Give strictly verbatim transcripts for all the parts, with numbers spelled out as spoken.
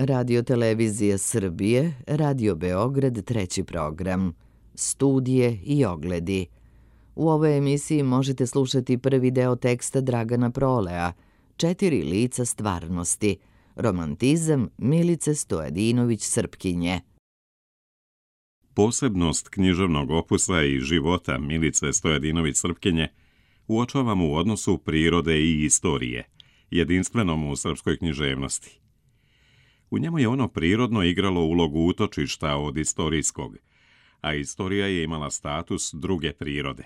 Radio Televizija Srbije, Radio Beograd, treći program. Studije i ogledi. U ovoj emisiji možete slušati prvi deo teksta Dragana Prolea, Četiri lica stvarnosti, romantizam Milice Stojadinović-Srpkinje. Posebnost književnog opusa i života Milice Stojadinović-Srpkinje uočavamo u odnosu prirode i istorije, jedinstvenom u srpskoj književnosti. U njemu je ono prirodno igralo ulogu utočišta od istorijskog, a istorija je imala status druge prirode.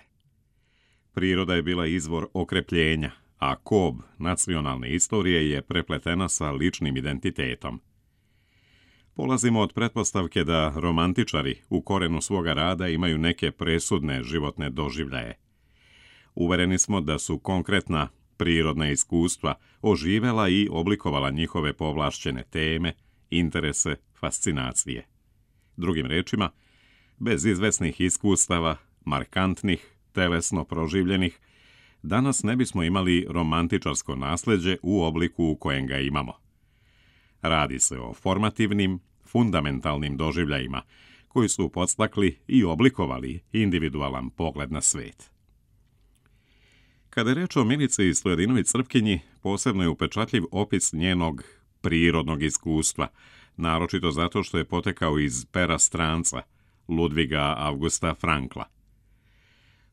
Priroda je bila izvor okrepljenja, a kob nacionalne istorije je prepletena sa ličnim identitetom. Polazimo od pretpostavke da romantičari u korenu svoga rada imaju neke presudne životne doživljaje. Uvereni smo da su konkretna prirodna iskustva oživela i oblikovala njihove povlašćene teme, interese, fascinacije. Drugim rečima, bez izvesnih iskustava, markantnih, telesno proživljenih, danas ne bismo imali romantičarsko nasleđe u obliku u kojem ga imamo. Radi se o formativnim, fundamentalnim doživljajima koji su podstakli i oblikovali individualan pogled na svet. Kada je reč o Milici Stojadinović-Srpkinji, posebno je upečatljiv opis njenog prirodnog iskustva, naročito zato što je potekao iz pera stranca Ludviga Augusta Frankla.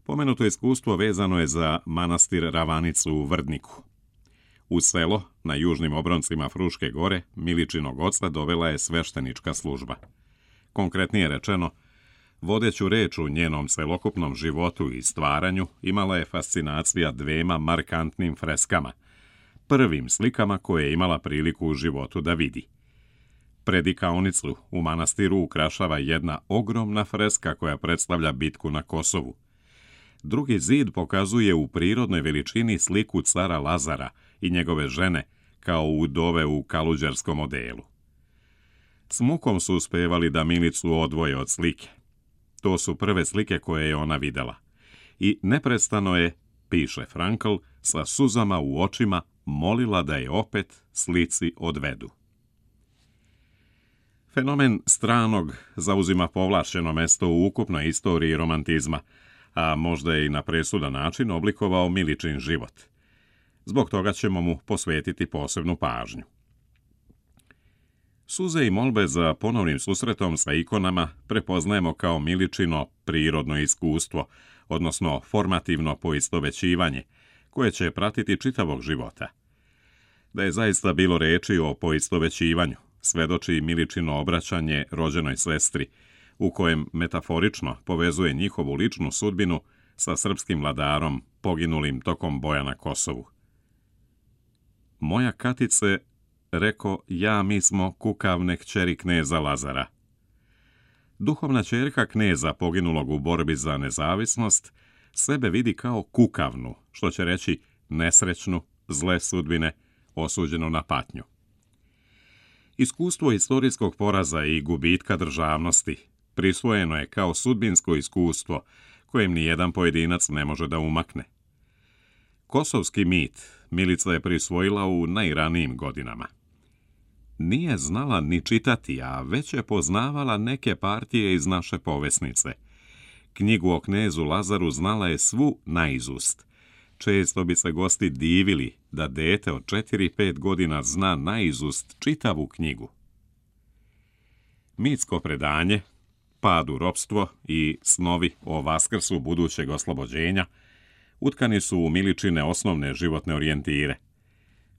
Pomenuto iskustvo vezano je za manastir Ravanicu u Vrdniku. U selo, na južnim obroncima Fruške gore, Miličinog oca dovela je sveštenička služba. Konkretnije rečeno, vodeću reč u njenom celokupnom životu i stvaranju imala je fascinacija dvema markantnim freskama, prvim slikama koje je imala priliku u životu da vidi. Predikaonicu u manastiru ukrašava jedna ogromna freska koja predstavlja bitku na Kosovu. Drugi zid pokazuje u prirodnoj veličini sliku cara Lazara i njegove žene kao udove u kaluđerskom odelu. S mukom su uspevali da Milicu odvoje od slike. To su prve slike koje je ona videla. I neprestano je, piše Frankl, sa suzama u očima molila da je opet slici odvedu. Fenomen stranog zauzima povlašćeno mesto u ukupnoj istoriji romantizma, a možda je i na presudan način oblikovao Miličin život. Zbog toga ćemo mu posvetiti posebnu pažnju. Suze i molbe za ponovnim susretom sa ikonama prepoznajemo kao Miličino prirodno iskustvo, odnosno formativno poistovećivanje, koje će pratiti čitavog života. Da je zaista bilo reči o poistovećivanju, svedoči Miličino obraćanje rođenoj sestri, u kojem metaforično povezuje njihovu ličnu sudbinu sa srpskim vladarom poginulim tokom boja na Kosovu. Moja Katice, reko, ja mi smo kukavne kćeri kneza Lazara. Duhovna ćerka kneza poginulog u borbi za nezavisnost sebe vidi kao kukavnu, što će reći nesrećnu, zle sudbine, osuđenu na patnju. Iskustvo istorijskog poraza i gubitka državnosti prisvojeno je kao sudbinsko iskustvo kojem ni jedan pojedinac ne može da umakne. Kosovski mit Milica je prisvojila u najranijim godinama. Nije znala ni čitati, a već je poznavala neke partije iz naše povesnice. Knjigu o knezu Lazaru znala je svu naizust. Često bi se gosti divili da dete od četiri pet godina zna naizust čitavu knjigu. Mitsko predanje, pad u ropstvo i snovi o vaskrsu budućeg oslobođenja utkani su u Miličine osnovne životne orijentire.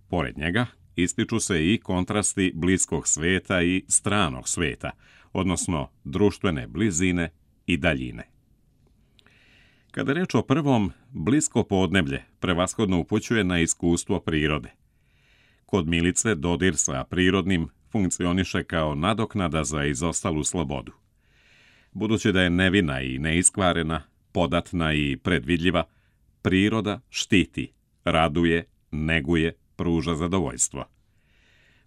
Pored njega ističu se i kontrasti bliskog sveta i stranog sveta, odnosno društvene blizine i daljine. Kada reč o prvom, blisko podneblje prevashodno upućuje na iskustvo prirode. Kod Milice dodir sa prirodnim funkcioniše kao nadoknada za izostalu slobodu. Budući da je nevina i neiskvarena, podatna i predvidljiva, priroda štiti, raduje, neguje, pruža zadovoljstvo.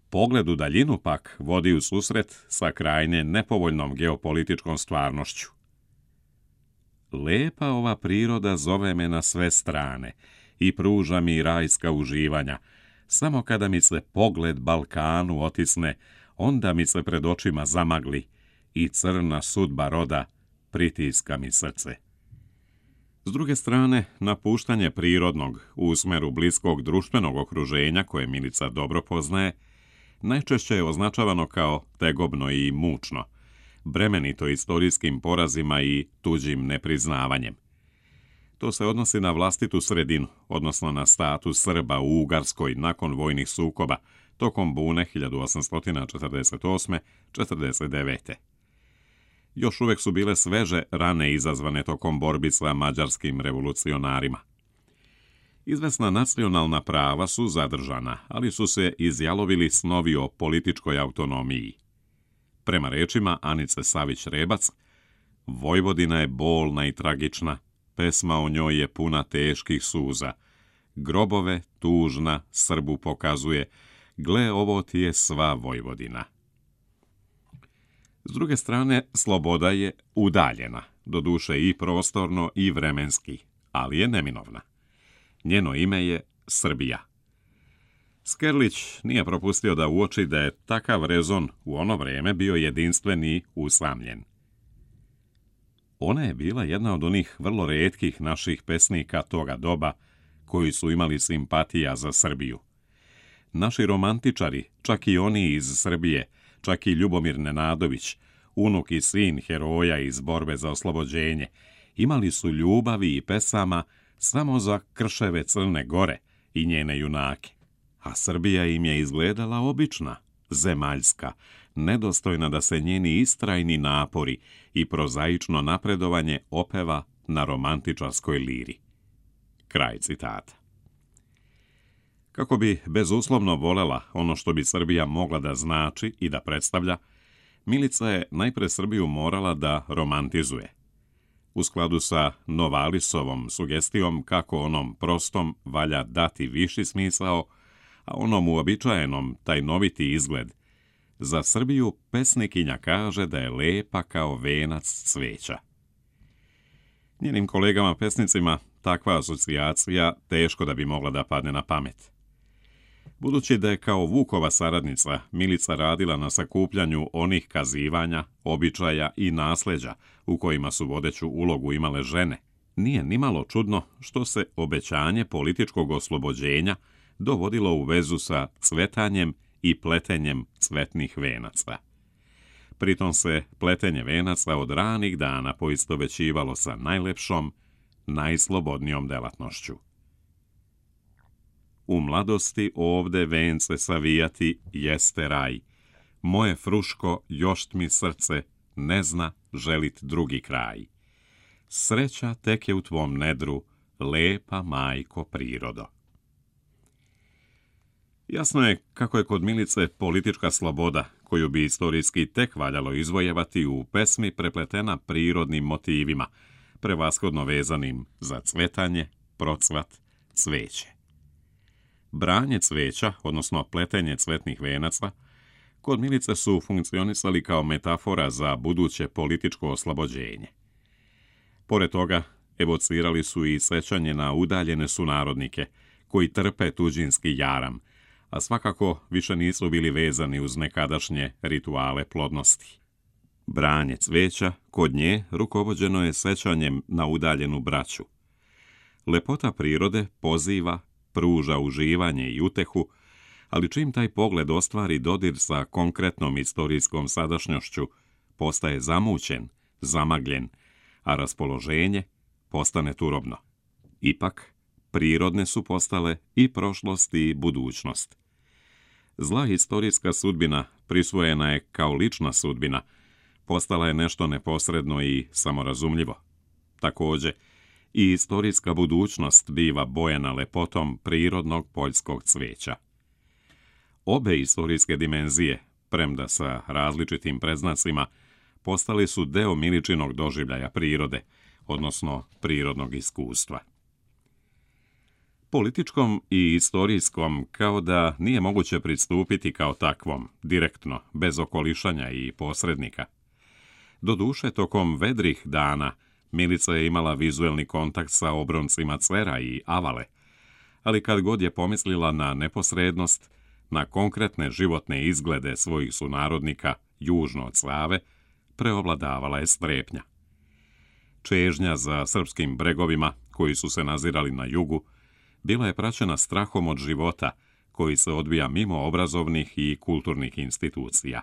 Pogled u daljinu pak vodi u susret sa krajnje nepovoljnom geopolitičkom stvarnošću. Lepa ova priroda zove me na sve strane i pruža mi rajska uživanja, samo kada mi se pogled Balkanu otisne onda mi se pred očima zamagli i crna sudba roda pritiska mi srce. S druge strane, napuštanje prirodnog u smeru bliskog društvenog okruženja koje Milica dobro poznaje, najčešće je označavano kao tegobno i mučno, bremenito istorijskim porazima i tuđim nepriznavanjem. To se odnosi na vlastitu sredinu, odnosno na status Srba u Ugarskoj nakon vojnih sukoba tokom bune hiljadu osamsto četrdeset osme četrdeset devete Još uvek su bile sveže rane izazvane tokom borbi sa mađarskim revolucionarima. Izvesna nacionalna prava su zadržana, ali su se izjalovili snovi o političkoj autonomiji. Prema rečima Anice Savić-Rebac, Vojvodina je bolna i tragična, pesma o njoj je puna teških suza. Grobove tužna Srbu pokazuje, gle ovo ti je sva Vojvodina. S druge strane, sloboda je udaljena, doduše i prostorno i vremenski, ali je neminovna. Njeno ime je Srbija. Skerlić nije propustio da uoči da je takav rezon u ono vreme bio jedinstven i usamljen. Ona je bila jedna od onih vrlo retkih naših pesnika toga doba koji su imali simpatija za Srbiju. Naši romantičari, čak i oni iz Srbije, čak i Ljubomir Nenadović, unuk i sin heroja iz borbe za oslobođenje, imali su ljubavi i pesama samo za krševe Crne Gore i njene junake. A Srbija im je izgledala obična, zemaljska, nedostojna da se njeni istrajni napori i prozaično napredovanje opeva na romantičarskoj liri. Kraj citata. Kako bi bezuslovno volela ono što bi Srbija mogla da znači i da predstavlja, Milica je najpre Srbiju morala da romantizuje. U skladu sa Novalisovom sugestijom kako onom prostom valja dati viši smisao, a onom uobičajenom tajnoviti izgled, za Srbiju pesnikinja kaže da je lepa kao venac cveća. Njenim kolegama pesnicima takva asocijacija teško da bi mogla da padne na pamet. Budući da je kao Vukova saradnica Milica radila na sakupljanju onih kazivanja, običaja i nasleđa u kojima su vodeću ulogu imale žene, nije nimalo čudno što se obećanje političkog oslobođenja dovodilo u vezu sa cvetanjem i pletenjem cvetnih venaca. Pritom se pletenje venaca od ranih dana poistovećivalo sa najlepšom, najslobodnijom delatnošću. U mladosti ovde vence savijati jeste raj. Moje fruško, još mi srce, ne zna želit drugi kraj. Sreća tek je u tvom nedru, lepa majko prirodo. Jasno je kako je kod Milice politička sloboda, koju bi istorijski tek valjalo izvojevati, u pesmi prepletena prirodnim motivima, prevashodno vezanim za cvetanje, procvat, cveće. Branje cveća, odnosno pletenje cvetnih venaca, kod Milice su funkcionisali kao metafora za buduće političko oslobođenje. Pored toga, evocirali su i sećanje na udaljene sunarodnike, koji trpe tuđinski jaram, a svakako više nisu bili vezani uz nekadašnje rituale plodnosti. Branje cveća kod nje rukovođeno je sećanjem na udaljenu braću. Lepota prirode poziva, pruža uživanje i utehu, ali čim taj pogled ostvari dodir sa konkretnom istorijskom sadašnjošću, postaje zamućen, zamagljen, a raspoloženje postane turobno. Ipak, prirodne su postale i prošlost i budućnost. Zla istorijska sudbina prisvojena je kao lična sudbina, postala je nešto neposredno i samorazumljivo. Takođe, i istorijska budućnost biva bojena lepotom prirodnog poljskog cveća. Obe istorijske dimenzije, premda sa različitim predznacima, postali su deo Miličinog doživljaja prirode, odnosno prirodnog iskustva. Političkom i istorijskom kao da nije moguće pristupiti kao takvom, direktno, bez okolišanja i posrednika. Doduše, tokom vedrih dana Milica je imala vizuelni kontakt sa obroncima Cvera i Avale, ali kad god je pomislila na neposrednost, na konkretne životne izglede svojih sunarodnika južno od Save, preovladavala je strepnja. Čežnja za srpskim bregovima, koji su se nazirali na jugu, bila je praćena strahom od života, koji se odvija mimo obrazovnih i kulturnih institucija.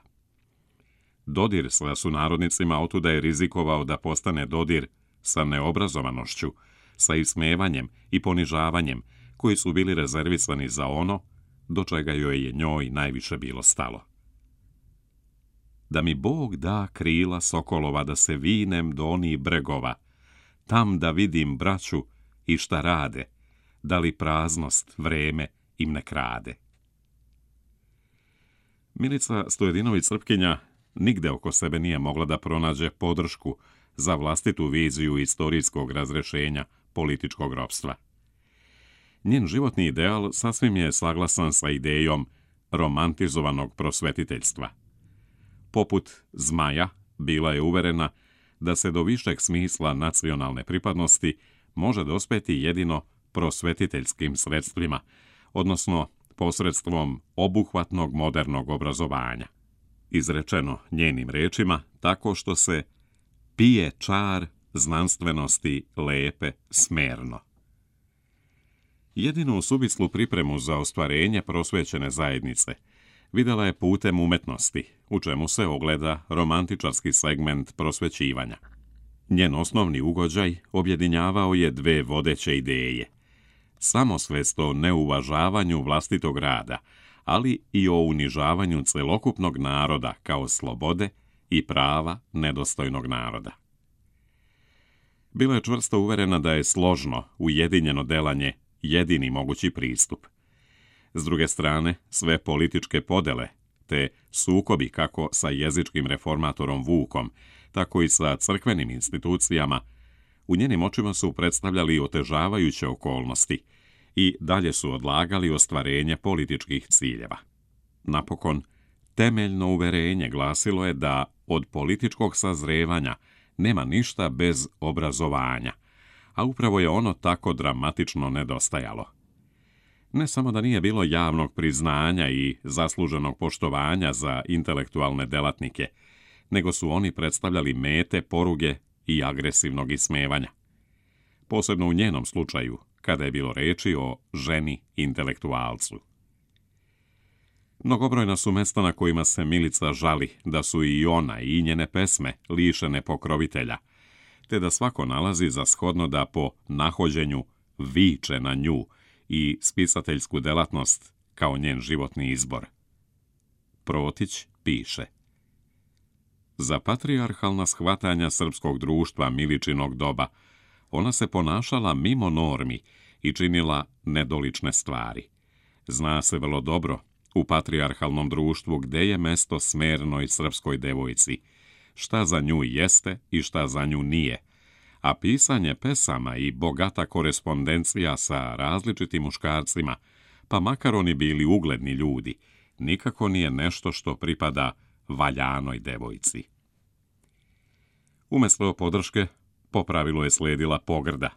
Dodir sa sunarodnicima otuda je rizikovao da postane dodir sa neobrazovanošću, sa ismevanjem i ponižavanjem, koji su bili rezervisani za ono do čega joj je njoj najviše bilo stalo. Da mi Bog da krila sokolova da se vinem do onih bregova, tam da vidim braću i šta rade, da li praznost vreme im ne krade. Milica Stojadinović-Srpkinja nigde oko sebe nije mogla da pronađe podršku za vlastitu viziju istorijskog razrešenja političkog ropstva. Njen životni ideal sasvim je saglasan sa idejom romantizovanog prosvetiteljstva. Poput Zmaja, bila je uverena da se do višeg smisla nacionalne pripadnosti može dospeti jedino prosvetiteljskim sredstvima, odnosno posredstvom obuhvatnog modernog obrazovanja. Izrečeno njenim rečima tako što se pije čar znanstvenosti lepe smerno. Jedinu suvislu pripremu za ostvarenje prosvećene zajednice videla je putem umetnosti, u čemu se ogleda romantičarski segment prosvećivanja. Njen osnovni ugođaj objedinjavao je dve vodeće ideje. Samosvest o neuvažavanju vlastitog rada, ali i o unižavanju celokupnog naroda kao slobode i prava nedostojnog naroda. Bila je čvrsto uverena da je složno, ujedinjeno delanje jedini mogući pristup. S druge strane, sve političke podele, te sukobi kako sa jezičkim reformatorom Vukom, tako i sa crkvenim institucijama, u njenim očima su predstavljali otežavajuće okolnosti i dalje su odlagali ostvarenje političkih ciljeva. Napokon, temeljno uverenje glasilo je da od političkog sazrevanja nema ništa bez obrazovanja, a upravo je ono tako dramatično nedostajalo. Ne samo da nije bilo javnog priznanja i zasluženog poštovanja za intelektualne delatnike, nego su oni predstavljali mete, poruge i agresivnog ismevanja. Posebno u njenom slučaju, kada je bilo reči o ženi intelektualcu. Mnogobrojna su mesta na kojima se Milica žali da su i ona i njene pesme lišene pokrovitelja, te da svako nalazi za shodno da po nahođenju viče na nju i spisateljsku delatnost kao njen životni izbor. Protić piše: za patrijarhalna shvatanja srpskog društva Miličinog doba ona se ponašala mimo normi i činila nedolične stvari. Zna se vrlo dobro u patrijarhalnom društvu gde je mesto smernoj srpskoj devojci, šta za nju jeste i šta za nju nije, a pisanje pesama i bogata korespondencija sa različitim muškarcima, pa makar oni bili ugledni ljudi, nikako nije nešto što pripada valjanoj devojci. Umesto podrške, po pravilu je sledila pogrda.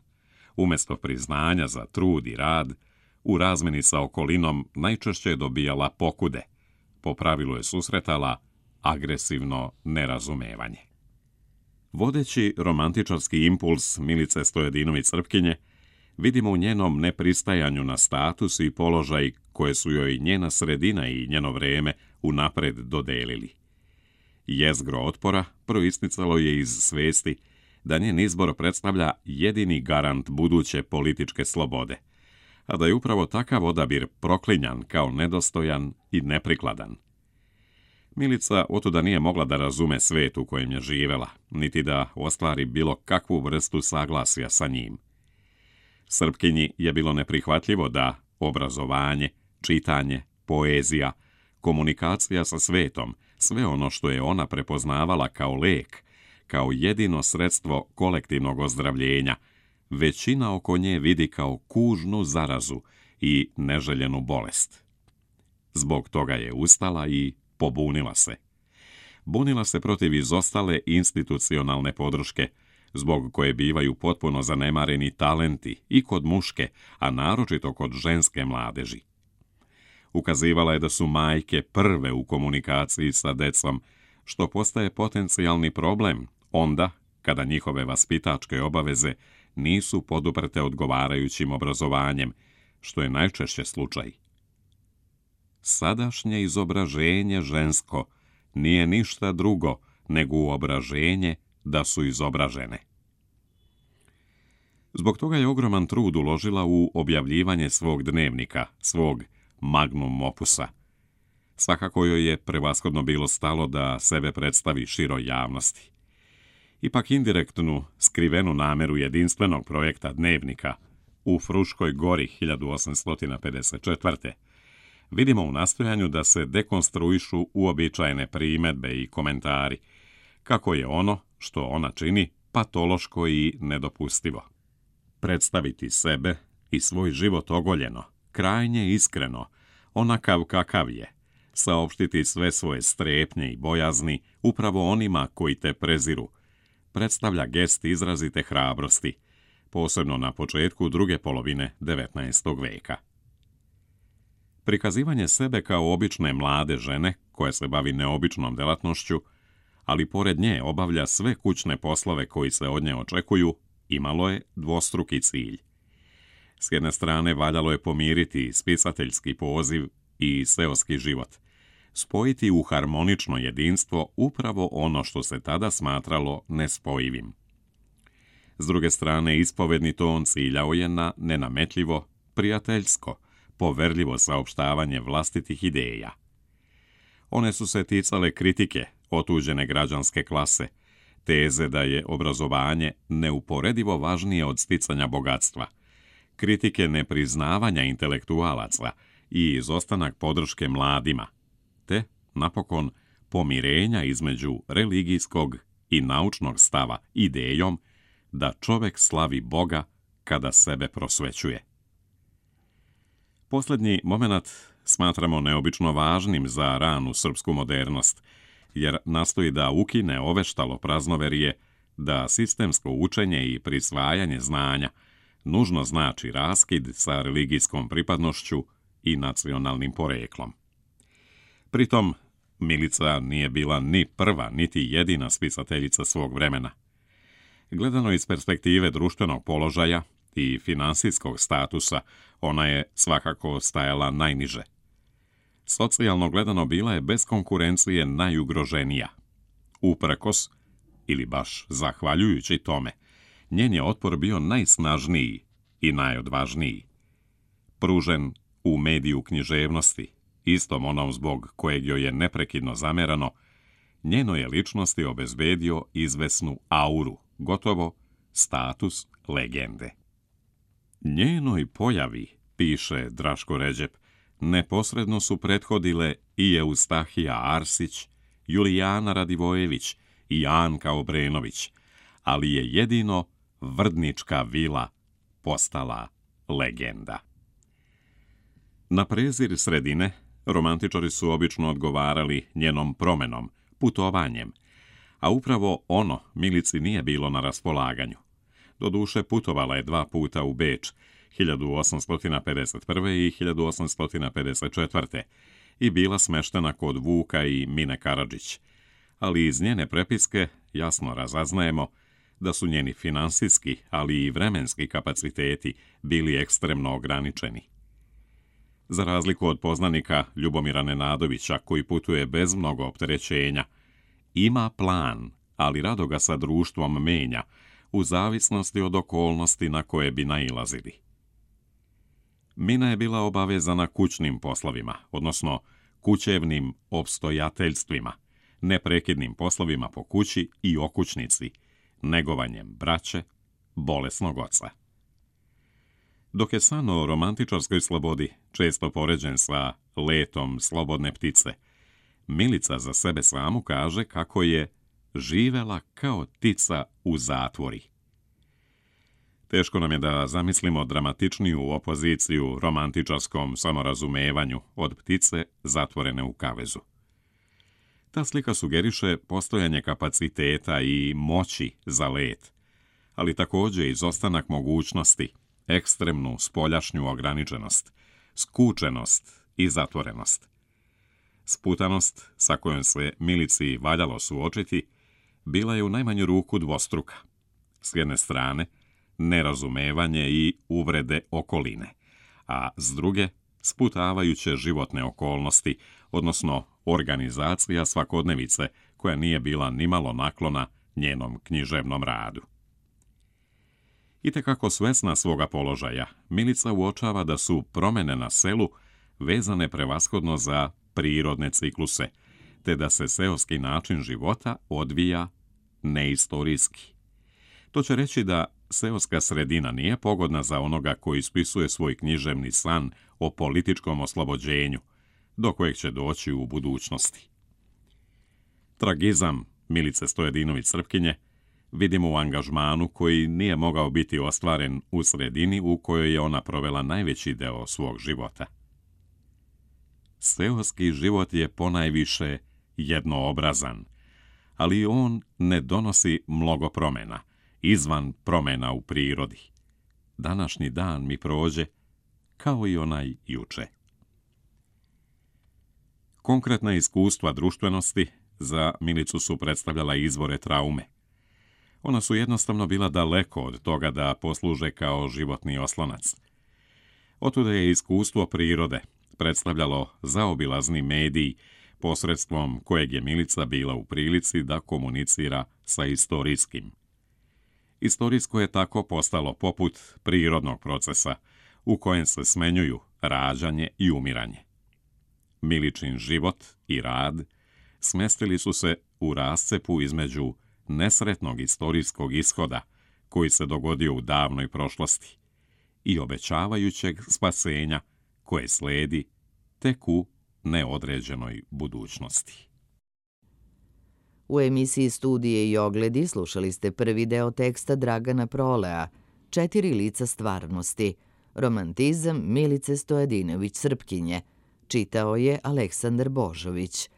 Umesto priznanja za trud i rad, u razmeni sa okolinom najčešće je dobijala pokude. Po pravilu je susretala agresivno nerazumevanje. Vodeći romantičarski impuls Milice Stojadinović-Srpkinje vidimo u njenom nepristajanju na status i položaj koje su joj njena sredina i njeno vreme unapred dodelili. Jezgro otpora proisticalo je iz svesti da njen izbor predstavlja jedini garant buduće političke slobode, a da je upravo takav odabir proklinjan kao nedostojan i neprikladan. Milica otuda nije mogla da razume svet u kojem je živela, niti da ostvari bilo kakvu vrstu saglasja sa njim. Srpkinji je bilo neprihvatljivo da obrazovanje, čitanje, poezija, komunikacija sa svetom, sve ono što je ona prepoznavala kao lek, kao jedino sredstvo kolektivnog ozdravljenja, većina oko nje vidi kao kužnu zarazu i neželjenu bolest. Zbog toga je ustala i pobunila se. Bunila se protiv izostale institucionalne podrške, zbog koje bivaju potpuno zanemareni talenti i kod muške, a naročito kod ženske mladeži. Ukazivala je da su majke prve u komunikaciji sa decom, što postaje potencijalni problem onda kada njihove vaspitačke obaveze nisu poduprte odgovarajućim obrazovanjem, što je najčešće slučaj. Sadašnje izobraženje žensko nije ništa drugo nego uobraženje da su izobražene. Zbog toga je ogroman trud uložila u objavljivanje svog dnevnika, svog magnum opusa. Svakako joj je prevashodno bilo stalo da sebe predstavi široj javnosti. Ipak indirektnu, skrivenu nameru jedinstvenog projekta dnevnika u Fruškoj gori hiljadu osamsto pedeset četvrte vidimo u nastojanju da se dekonstruišu uobičajene primedbe i komentari, kako je ono što ona čini patološko i nedopustivo. Predstaviti sebe i svoj život ogoljeno, krajnje iskreno, onakav kakav je, saopštiti sve svoje strepnje i bojazni upravo onima koji te preziru, predstavlja gest izrazite hrabrosti, posebno na početku druge polovine devetnaestog veka. Prikazivanje sebe kao obične mlade žene koja se bavi neobičnom delatnošću, ali pored nje obavlja sve kućne poslove koji se od nje očekuju, imalo je dvostruki cilj. S jedne strane valjalo je pomiriti spisateljski poziv i seoski život, spojiti u harmonično jedinstvo upravo ono što se tada smatralo nespojivim. S druge strane, ispovedni ton ciljao je na nenametljivo, prijateljsko, poverljivo saopštavanje vlastitih ideja. One su se ticale kritike otuđene građanske klase, teze da je obrazovanje neuporedivo važnije od sticanja bogatstva, kritike nepriznavanja intelektualaca i izostanak podrške mladima, te, napokon, pomirenja između religijskog i naučnog stava idejom da čovek slavi Boga kada sebe prosvećuje. Posljednji moment smatramo neobično važnim za ranu srpsku modernost, jer nastoji da ukine oveštalo praznoverije da sistemsko učenje i prisvajanje znanja nužno znači raskid sa religijskom pripadnošću i nacionalnim poreklom. Pritom, Milica nije bila ni prva, niti jedina spisateljica svog vremena. Gledano iz perspektive društvenog položaja i finansijskog statusa, ona je svakako stajala najniže. Socijalno gledano bila je bez konkurencije najugroženija. Uprkos, ili baš zahvaljujući tome, njen je otpor bio najsnažniji i najodvažniji. Pružen u mediju književnosti, istom onom zbog kojeg joj je neprekidno zamerano, njenoj je ličnosti obezbedio izvesnu auru, gotovo status legende. Njenoj pojavi, piše Draško Ređep, neposredno su prethodile i Eustahija Arsić, Julijana Radivojević i Anka Obrenović, ali je jedino Vrdnička vila postala legenda. Na prezir sredine romantičari su obično odgovarali njenom promenom, putovanjem, a upravo ono Milici nije bilo na raspolaganju. Doduše, putovala je dva puta u Beč, hiljadu osamsto pedeset prve i hiljadu osamsto pedeset četvrte i bila smeštena kod Vuka i Mine Karadžić, ali iz njene prepiske jasno razaznajemo da su njeni finansijski, ali i vremenski kapaciteti bili ekstremno ograničeni. Za razliku od poznanika Ljubomira Nenadovića, koji putuje bez mnogo opterećenja, ima plan, ali rado ga sa društvom menja, u zavisnosti od okolnosti na koje bi nailazili. Mina je bila obavezana kućnim poslovima, odnosno kućevnim opstojateljstvima, neprekidnim poslovima po kući i okućnici, negovanjem braće, bolesnog oca. Dok je san o romantičarskoj slobodi često poređen sa letom slobodne ptice, Milica za sebe samu kaže kako je živela kao ptica u zatvori. Teško nam je da zamislimo dramatičniju opoziciju romantičarskom samorazumevanju od ptice zatvorene u kavezu. Ta slika sugeriše postojanje kapaciteta i moći za let, ali također izostanak mogućnosti, ekstremnu spoljašnju ograničenost, skučenost i zatvorenost. Sputanost sa kojom se Milici valjalo suočiti bila je u najmanju ruku dvostruka. S jedne strane, nerazumevanje i uvrede okoline, a s druge, sputavajuće životne okolnosti, odnosno organizacija svakodnevice koja nije bila nimalo naklona njenom književnom radu. Itekako svesna svoga položaja, Milica uočava da su promene na selu vezane prevashodno za prirodne cikluse, te da se seoski način života odvija neistorijski. To će reći da seoska sredina nije pogodna za onoga koji ispisuje svoj književni san o političkom oslobođenju, do kojeg će doći u budućnosti. Tragizam Milice Stojadinović-Srpkinje vidimo u angažmanu koji nije mogao biti ostvaren u sredini u kojoj je ona provela najveći deo svog života. Seoski život je ponajviše jednoobrazan, ali on ne donosi mnogo promena, izvan promena u prirodi. Današnji dan mi prođe kao i onaj juče. Konkretna iskustva društvenosti za Milicu su predstavljala izvore traume. Ona su jednostavno bila daleko od toga da posluže kao životni oslonac. Otuda je iskustvo prirode predstavljalo zaobilazni medij posredstvom kojeg je Milica bila u prilici da komunicira sa istorijskim. Istorijsko je tako postalo poput prirodnog procesa u kojem se smenjuju rađanje i umiranje. Miličin život i rad smestili su se u rascepu između nesretnog istorijskog ishoda koji se dogodio u davnoj prošlosti i obećavajućeg spasenja koje sledi tek u neodređenoj budućnosti. U emisiji Studije i ogledi slušali ste prvi deo teksta Dragana Prolea, Četiri lica stvarnosti, romantizam Milice Stojadinović-Srpkinje. Čitao je Aleksandar Božović.